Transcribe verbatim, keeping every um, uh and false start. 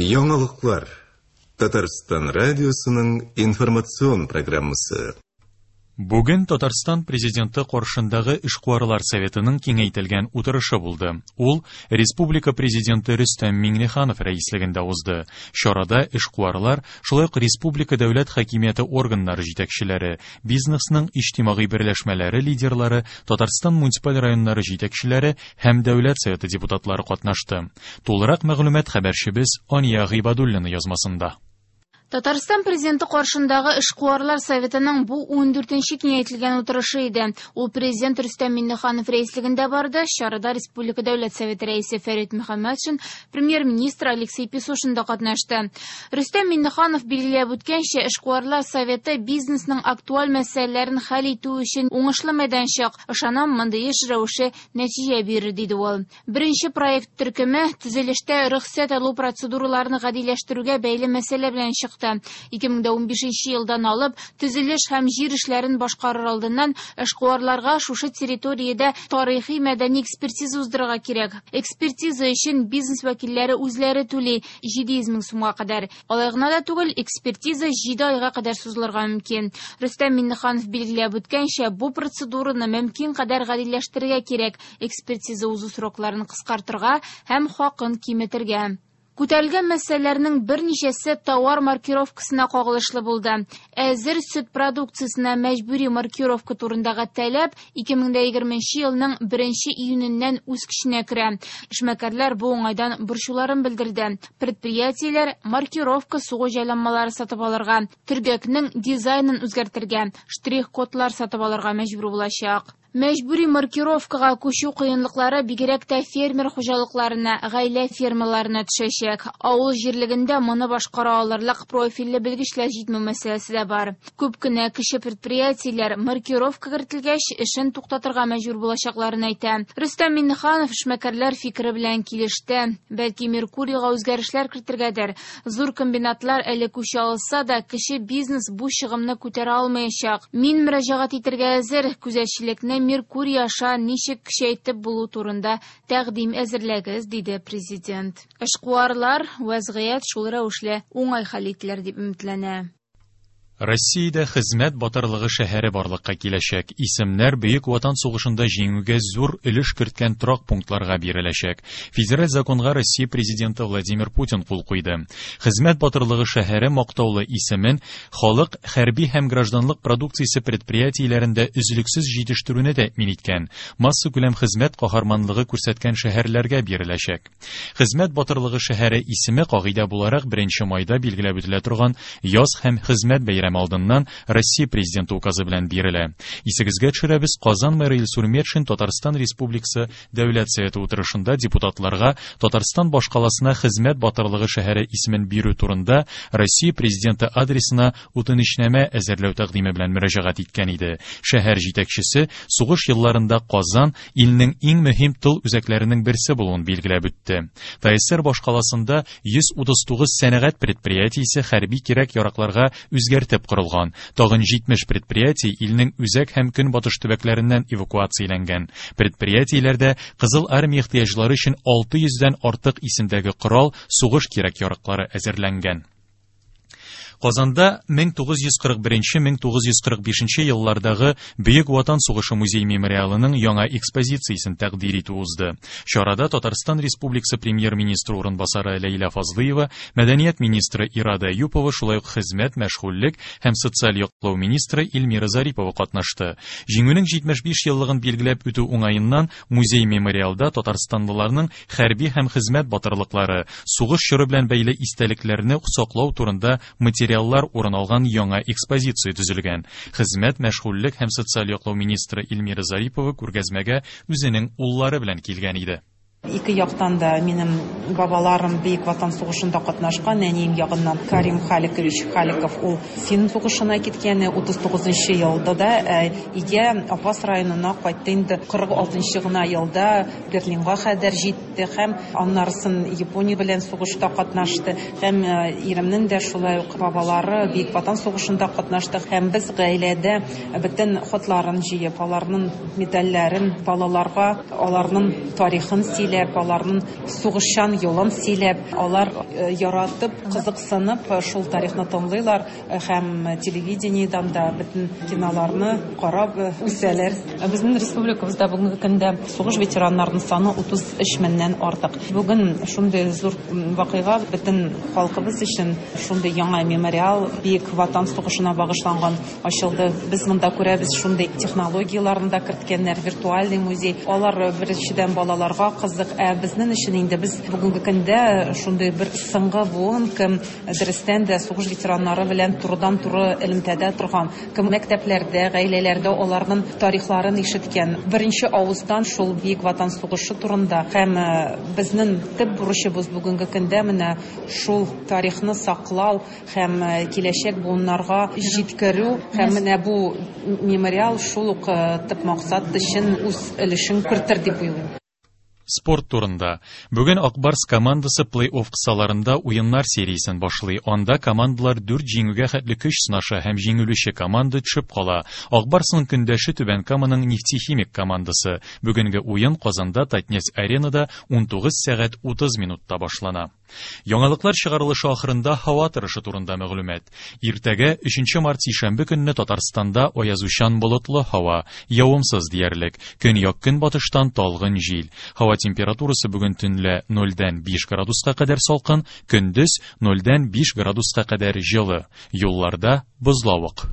Яңалыклар. Татарстан радиосының информацион программасы. Бүген Татарстан президенты каршындагы эшкуарлар советының киңәйтелгән утырышы булды. Ул республика президенты Рөстәм Миңнеханов рәислегендә узды. Чарада эшкуарлар, шулай ук республика дәүләт хакимияте органнары җитәкчеләре, бизнесның иҗтимагый берләшмәләре лидерлары, Татарстан муниципаль районнары җитәкчеләре һәм дәүләт советы депутатлары катнашты. Тулырак мәгълүмат хәбәрчебез Ания Гыйбадуллина язмасында. Татарстан президенты каршындагы эшкуарлар советының бу ун дүртенче киңәйтелгән утырышы иде. Ул президент Рөстәм Миңнеханов рәислегендә барды. Чарада Республика Дәүләт Советы рәисе Фәрит Мөхәммәтшин, премьер-министр Алексей Песошин да катнашты. Рөстәм Миңнеханов билгеләп үткәнчә, эшкуарлар советы бизнесның актуаль мәсьәләләрен хәл итү өчен уңышлы мәйданчык. Ышанам, мондый эш рәвеше нәтиҗә бирер, диде ул. Беренче проект төркеме төзелештә рөхсәт алу процедураларын гадиләштерүгә бәйле мәсьәлә белән чыкты. ике мең унбишенче елдан алып төзелеш һәм җир эшләрен башкарыр алдыннан эшкуарларга шушы территориядә тарихи мәдәни экспертиза уздырырга кирәк. Экспертиза өчен бизнес вәкилләре үзләре түли җиде йөз мең сумга кадәр. Алай гына да түгел, экспертиза җиде айга кадәр сузылырга мөмкин. Рөстәм Миңнеханов билгеләп үткәнчә, бу процедураны мөмкин кадәр гадиләштерергә кирәк, экспертиза узу срокларын кыскартырга һәм хакын киметергә. Күтәрелгән мәсьәләләрнең берничәсе товар маркировкасына кагылышлы булды. Әзер сөт продукциясенә мәҗбүри маркировка турындагы таләп ике мең егерменче елның беренче июненнән үз көченә керә. Эшмәкәрләр бу уңайдан борчуларын белдерде. Предприятиеләр маркировка сугу җайланмалары сатып алырга, төргәкнең дизайнын үзгәртергә, штрих-кодлар сатып алырга мәҗбүр булачак. Мәҗбүри маркировкага күчү кыенлыклары бигрәк тә фермер хуҗалыкларына, гаилә фермаларына төшәчәк. Авыл җирлегендә моны башкара алырлык профильле белгечләр җитмәү мәсьәләсе дә бар. Күп кенә кече предприятиеләр маркировка кертелгәч эшен туктатырга мәҗбүр булачакларын әйтә. Рөстәм Миңнеханов эшмәкәрләр фикере белән килеште. Бәлки Меркурийга үзгәрешләр кертергәдер. Зур комбинатлар әле күчә алса да, кече бизнес бу чыгымны күтәрә алмаячак. Мин мөрәҗәгать итәргә әзер, күзәтчелекне Меркурий аша ничек көчәйтеп булу турында тәкъдим әзерләгез, диде президент. Эшкуарлар вәзгыять шул рәвешле уңай хәл ителер дип өметләнә. Россиядә хезмәт батырлыгы шәһәре барлыкка киләчәк. Исемнәр Бөек Ватан сугышында җиңүгә зур өлеш керткән торак пунктларга биреләчәк. Федераль законга Россия президенты Владимир Путин кул куйды. Хезмәт батырлыгы шәһәре мактаулы исемен халык хәрби һәм гражданлык продукциясе предприятиеләрендә өзлексез җитештерүне тәэмин иткән, массакүләм хезмәт каһарманлыгы күрсәткән шәһәрләргә биреләчәк. Хезмәт батырлыгы шәһәре исеме кагыйдә буларак беренче майда билгеләп үтелә торган яз һәм хезмәт бәйрәме алдыннан Россия президенты указы белән бирелә. Исегезгә төшерәбез, Казан мэры Илсур Метшин Татарстан Республикасы Дәүләт Советы утырышында депутатларга Татарстан башкаласына хезмәт батырлыгы шәһәре исемен бирү турында Россия президенты адресына үтенечнамә әзерләү тәкъдиме белән мөрәҗәгать иткән иде. Шәһәр җитәкчесе сугыш елларында Казан илнең иң мөһим тыл үзәкләренең берсе булуын билгеләп үтте. ТАССР башкаласында йөз утыз тугыз сәнәгать предприятиесе хәрби кирәк-яракларга үзгәртеп корылган. Тагын җитмеш предприятие илнең үзәк һәм көнбатыш төбәкләреннән эвакуацияләнгән. Предприятиеләрдә Кызыл армия ихтыяҗлары өчен алты йөздән артык исемдәге корал, сугыш кирәк-яраклары әзерләнгән. Казанда мең тугыз йөз кырык беренче мең тугыз йөз кырык бишенче еллардагы Бөек Ватан сугышы музей мемориалының яңа экспозициясен тәкъдир итү узды. Чарада Татарстан Республикасы премьер-министры урынбасары Ләйлә Фазлыева, мәдәният министры Ирада Әюпова, шулай ук хезмәт, мәшгульлек һәм социаль яклау министры Эльмира Зарипова катнашты. Җиңүнең җитмеш биш еллыгын билгеләп үтү уңаеннан музей мемориалда татарстанлыларның хәрби һәм хезмәт батырлыклары, сугыш чоры белән бәйле истәлекләрне саклау турында материаллар урын алган яңа экспозиция төзелгән. Хезмәт, мәшгульлек һәм социаль яклау министры Эльмира Зарипова күргәзмәгә үзенең уллары белән килгән иде. Ике яктан да минем бабаларым Бөек Ватан сугышында катнашкан, әнием ягыннан Карим Халикович Халиков ул фин сугышына киткән утыз тугызынчы елда да, өйгә Апас районына кайтты инде кырык алтынчы гына елда Берлинга кадәр җитте һәм аннарысын Япония белән сугышта катнашты. Һәм иремнең дә шулай ук бабалары Бөек Ватан сугышында катнашты һәм без гаиләдә бөтен хатларын җыеп, аларның медальләрен балаларга, аларның тарихын сөйләп Сөйләп, аларның сугышчан юлын сөйләп, алар яратып, кызыксынып шул тарихны тыңлыйлар һәм телевидениедән дә бөтен киноларны карап үсәләр. Безнең республикабызда бүгенге көндә сугыш ветераннарының саны утыз өч меңнән артык. Бүген шундый зур вакыйга бөтен халкыбыз өчен, шундый яңа мемориал Бөек Ватан сугышына багышланган ачылды. Без монда күрәбез шундый технологияләрне дә керткәннәр, виртуальный музей. Алар беренчедән балаларга кызык, ә безнең өчен инде без бүгенге көндә шундый бер соңгы буын, кем дөрестән дә сугыш ветераннары белән турыдан-туры элемтәдә торган, кем мәктәпләрдә, гаиләләрдә аларның тарихларын ишеткән. Беренче авыздан шул Бөек Ватан сугышы турында һәм безнең төп бурычыбыз бүгенге көндә менә шул тарихны саклау һәм киләчәк буыннарга җиткерү, һәм менә бу мемориал шул ук төп максат өчен үз өлешен кертер дип уйлыйм. Спорт турында. Бүген Акбарс командасы плей-офф кысаларында уеннар сериясен башлый. Анда командалар дүрт җиңүгә хәтле көч сынаша һәм җиңелүче команда төшеп кала. Акбарсның көндәше Түбән Каманың Нефтехимик командасы. Бүгенге уен Казанда Татнефть аренада унтугыз сәгать утыз минутта башлана. Яңалыклар чыгарылышы ахырында һава торышы турында мәгълүмат. Иртәгә өченче март сишәмбе көнне Татарстанда аязучан болытлы һава, явымсыз диярлек. Көньяк көнбатыштан талгын җил. Һава температурасы бүген төнлә нольдән биш градуска кадәр салкын, көндез нольдән биш градуска кадәр җылы. Юлларда бозлавык.